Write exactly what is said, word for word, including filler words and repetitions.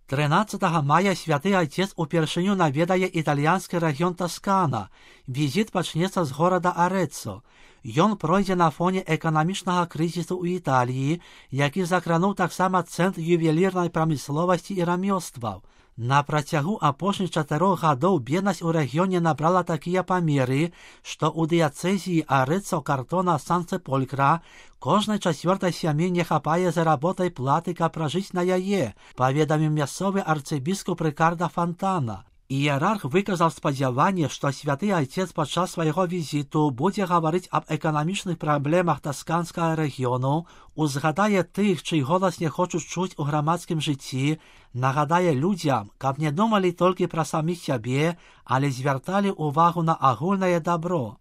тринадцятага мая святы айцец упершыню наведае італьянскі рэгіён Таскана. Візіт пачнецца з горада Арэццо. Ён пройдзе на фоне эканамічнага крызісу ў Італіі, які закрануў таксама цэнтр ювелірнай прамысловасці і рамёстваў. На працягу апошніх чатырох гадоў беднасць у рэгіёне набрала такія памеры, што ў дыяцэзіі Арэццо-Картона-Сан-Цэполькра кожнай чацвёртай сям'і не хапае заработай платы, каб пражыць на яе, паведаміў мясцовы арцыбіскуп Рыкарда Фантана. Іерарх выказаў спадзяванне, што святы айцец падчас свайго візіту будзе гаварыць аб эканамічных праблемах тасканскага рэгіёну, узгадае тых, чый голас не хочуць чуць у грамадскім жыцці, нагадае людзям, каб не думалі толькі пра саміх сябе, але звярталі ўвагу на агульнае дабро.